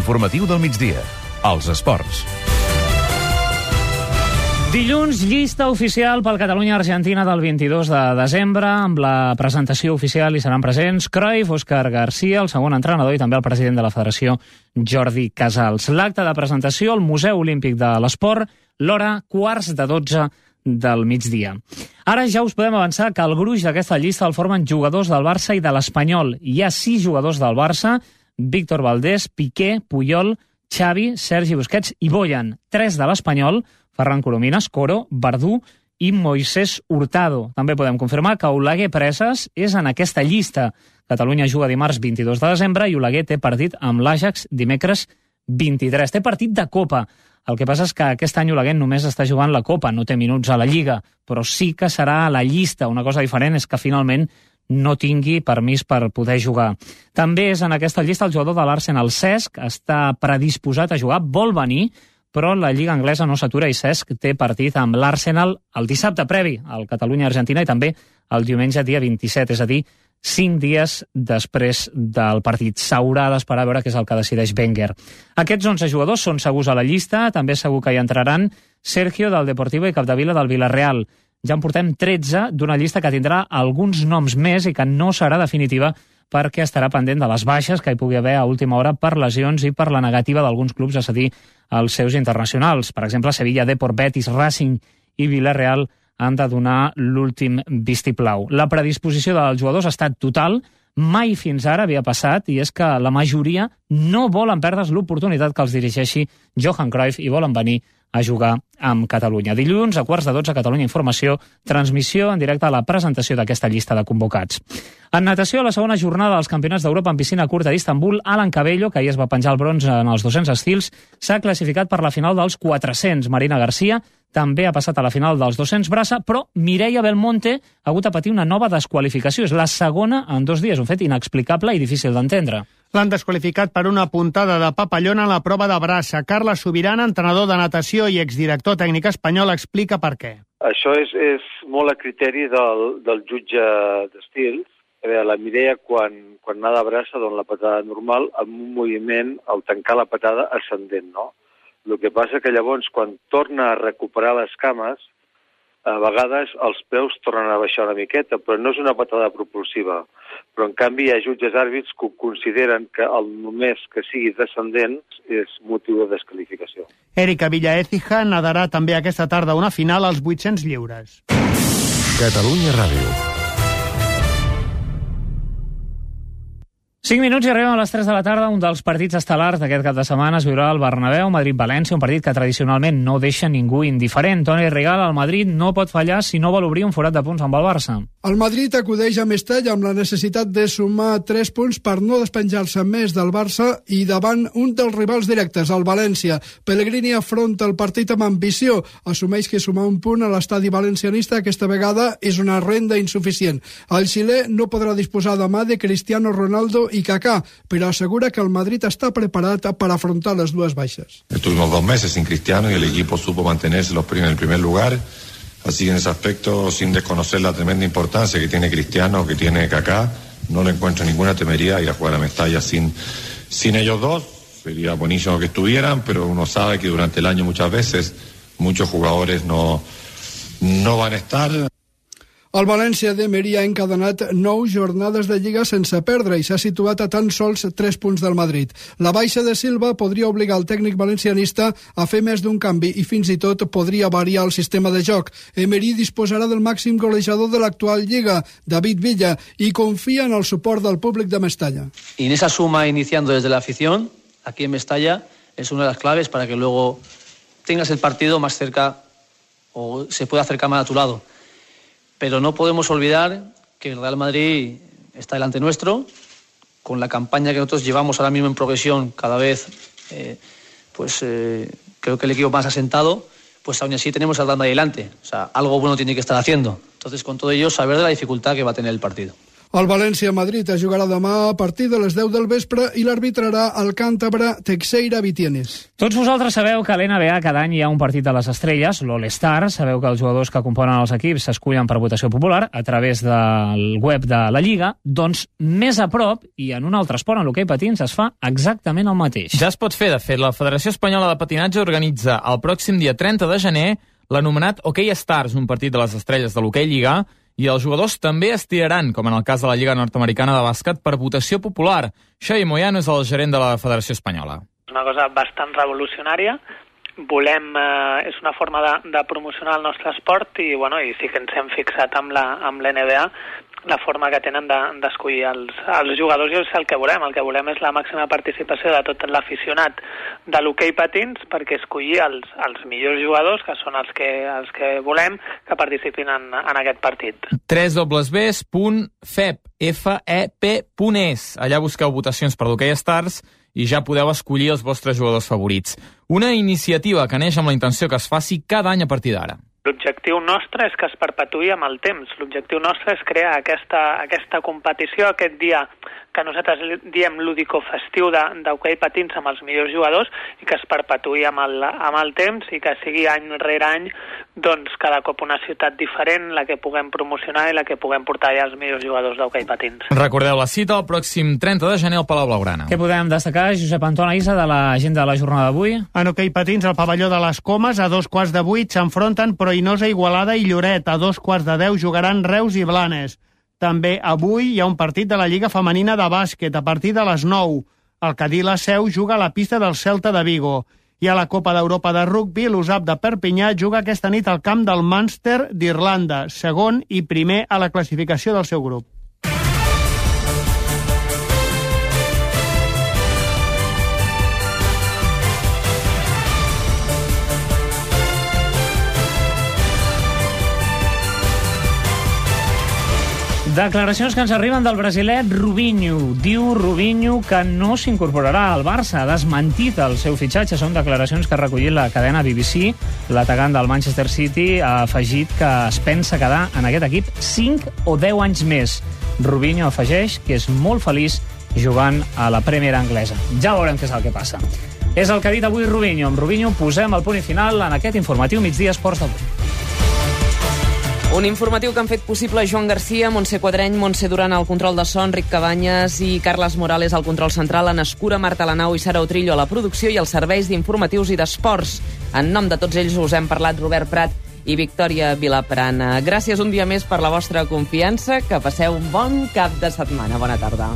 L'informatiu del migdia. Els esports. Dilluns, llista oficial pel Catalunya-Argentina del 22 de desembre. Amb la presentació oficial hi seran presents Cruyff, Òscar García, el segon entrenador, i també el president de la federació, Jordi Casals. L'acte de presentació al Museu Olímpic de l'Esport, l'hora 11:45 del migdia. Ara ja us podem avançar que el gruix d'aquesta llista el formen jugadors del Barça i de l'Espanyol. Hi ha 6 jugadors del Barça: Víctor Valdés, Piqué, Puyol, Xavi, Sergi Busquets i Boyan. 3 de l'Espanyol: Ferran Corominas, Coro, Verdú i Moisés Hurtado. També podem confirmar que Oleguer Preses és en aquesta llista. Catalunya juga dimarts 22 de desembre i Oleguer té partit amb l'Ajax dimecres 23. Té partit de Copa. El que passa és que aquest any Oleguer només està jugant la Copa, no té minuts a la Lliga, però sí que serà a la llista. Una cosa diferent és que finalment no tingui permís per poder jugar. També és en aquesta llista el jugador de l'Arsenal, Cesc, està predisposat a jugar, vol venir, però la Lliga Anglesa no s'atura i Cesc té partit amb l'Arsenal el dissabte previ al Catalunya-Argentina i també el diumenge dia 27, és a dir, 5 dies després del partit. S'haurà d'esperar a veure què és el que decideix Wenger. Aquests 11 jugadors són segurs a la llista, també segur que hi entraran Sergio del Deportivo i Capdevila del Villarreal. Ja en portem 13 d'una llista que tindrà alguns noms més i que no serà definitiva perquè estarà pendent de les baixes que hi pugui haver a última hora per lesions i per la negativa d'alguns clubs a cedir els seus internacionals. Per exemple, Sevilla, Depor, Betis, Racing i Villarreal han de donar l'últim vistiplau. La predisposició dels jugadors ha estat total, mai fins ara havia passat, i és que la majoria no volen perdre's l'oportunitat que els dirigeixi Johan Cruyff i volen venir a jugar amb Catalunya. Dilluns, a 11:45, Catalunya Informació, transmissió en directe a la presentació d'aquesta llista de convocats. En natació, a la segona jornada dels Campionats d'Europa en piscina curta d'Istanbul, Alan Cabello, que ahir es va penjar el bronze en els 200 estils, s'ha classificat per la final dels 400. Marina Garcia també ha passat a la final dels 200 braça, però Mireia Belmonte ha hagut de patir una nova desqualificació. És la segona en 2 dies, un fet inexplicable i difícil d'entendre. L'han desqualificat per una puntada de papallona a la prova de braça. Carles Subirana, entrenador de natació i exdirector tècnic espanyol, explica per què. Això és molt a criteri del jutge d'estils. La Mireia, quan nada de braça, dona la patada normal, amb un moviment, al tancar la patada, ascendent, no? El que passa que llavors, quan torna a recuperar les cames, a vegades els peus tornen a baixar una miqueta, però no és una patada propulsiva. Però, en canvi, hi ha jutges àrbits que consideren que només que sigui descendent és motiu de desqualificació. Erika Villaécija nadarà també aquesta tarda una final als 800 lliures. Catalunya Ràdio. 5 minuts i arribem a les 3 de la tarda. Un dels partits estel·lars d'aquest cap de setmana es viurà al Bernabéu, Madrid-València, un partit que tradicionalment no deixa ningú indiferent. Toni Rigal, el Madrid no pot fallar si no vol obrir un forat de punts amb el Barça. El Madrid acudeix a Mestalla amb la necessitat de sumar 3 punts per no despenjar-se més del Barça i davant un dels rivals directes, el València. Pellegrini afronta el partit amb ambició. Assumeix que sumar un punt a l'estadi valencianista aquesta vegada és una renda insuficient. El xilè no podrà disposar demà de Cristiano Ronaldo y Kaká, pero asegura que el Madrid está preparado para afrontar las dues baixas. Estuvimos 2 meses sin Cristiano y el equipo supo mantenerse en el primer lugar, así que en ese aspecto, sin desconocer la tremenda importancia que tiene Cristiano, que tiene Kaká, no le encuentro ninguna temeridad ir a jugar a Mestalla sin ellos dos. Sería buenísimo que estuvieran, pero uno sabe que durante el año muchas veces muchos jugadores no van a estar. El València d'Emery ha encadenat 9 jornades de Lliga sense perdre i s'ha situat a tan sols 3 punts del Madrid. La baixa de Silva podria obligar el tècnic valencianista a fer més d'un canvi i fins i tot podria variar el sistema de joc. Emery disposarà del màxim golejador de l'actual Lliga, David Villa, i confia en el suport del públic de Mestalla. Y en esa suma iniciando desde la afición, aquí en Mestalla, es una de las claves para que luego tengas el partido más cerca o se pueda acercar más a tu lado. Pero no podemos olvidar que el Real Madrid está delante nuestro, con la campaña que nosotros llevamos ahora mismo en progresión cada vez, creo que el equipo más asentado, pues aún así tenemos al Real Madrid delante. O sea, algo bueno tiene que estar haciendo. Entonces, con todo ello, saber de la dificultad que va a tener el partido. El València-Madrid es jugarà demà a partir de les 10 del vespre i l'arbitrarà el càntabre Teixeira Vitienes. Tots vosaltres sabeu que a l'NBA cada any hi ha un partit de les estrelles, l'All-Star. Sabeu que els jugadors que componen els equips s'escullen per votació popular a través del web de la Lliga. Doncs més a prop, i en un altre esport, en l'hoquei patins, es fa exactament el mateix. Ja es pot fer, de fet. La Federació Espanyola de Patinatge organitza el pròxim dia 30 de gener l'anomenat Hockey Stars, un partit de les estrelles de l'hoquei lliga, i els jugadors també es tiraran, com en el cas de la Lliga Nord-Americana de Bàsquet, per votació popular. Xavi Moyano és el gerent de la Federació Espanyola. És una cosa bastant revolucionària. És una forma de promocionar el nostre esport i sí que ens hem fixat amb l'NBA la forma que tenen d'escollir els jugadors, i és el que volem. El que volem és la màxima participació de tot l'aficionat de l'hoquei patins perquè escollir els millors jugadors, que són els que volem que participin en aquest partit. www.fep.es. Allà busqueu votacions per l'Hockey Stars i ja podeu escollir els vostres jugadors favorits. Una iniciativa que neix amb la intenció que es faci cada any a partir d'ara. L'objectiu nostre és que es perpetuï amb el temps. L'objectiu nostre és crear aquesta competició, aquest dia que nosaltres diem lúdico-festiu d'hoquei patins amb els millors jugadors i que es perpetuï amb el temps i que sigui any rere any cada cop una ciutat diferent la que puguem promocionar i la que puguem portar ja els millors jugadors d'hoquei patins. Recordeu la cita el pròxim 30 de gener al Palau Blaugrana. Què podem destacar, Josep Anton Aïssa, de l'agenda de la jornada d'avui? En hoquei patins, al pavelló de les Comes, a 2:15 s'enfronten Proinosa, Igualada i Lloret. A 2:10 jugaran Reus i Blanes. També avui hi ha un partit de la Lliga Femenina de Bàsquet a partir de les 9. El Cadí La Seu juga a la pista del Celta de Vigo. I a la Copa d'Europa de Rugby, l'USAP de Perpinyà juga aquesta nit al camp del Munster d'Irlanda, segon i primer a la classificació del seu grup. Declaracions que ens arriben del brasilet Rubinho. Diu Rubinho que no s'incorporarà al Barça. Ha desmentit el seu fitxatge. Són declaracions que ha recollit la cadena BBC. L'atacant del Manchester City ha afegit que es pensa quedar en aquest equip 5 o 10 anys més. Rubinho afegeix que és molt feliç jugant a la Premier anglesa. Ja veurem què és el que passa. És el que ha dit avui Rubinho. Amb Rubinho posem el punt i final en aquest informatiu Migdia Esports d'avui. Un informatiu que han fet possible Joan Garcia, Montse Quadreny, Montse Duran al control de so, Enric Cabanyes i Carles Morales al control central, Anna Escura, Marta Lanau i Sara Utrillo a la producció i als serveis d'informatius i d'esports. En nom de tots ells us hem parlat Robert Prat i Victòria Vilaprana. Gràcies un dia més per la vostra confiança, que passeu un bon cap de setmana. Bona tarda.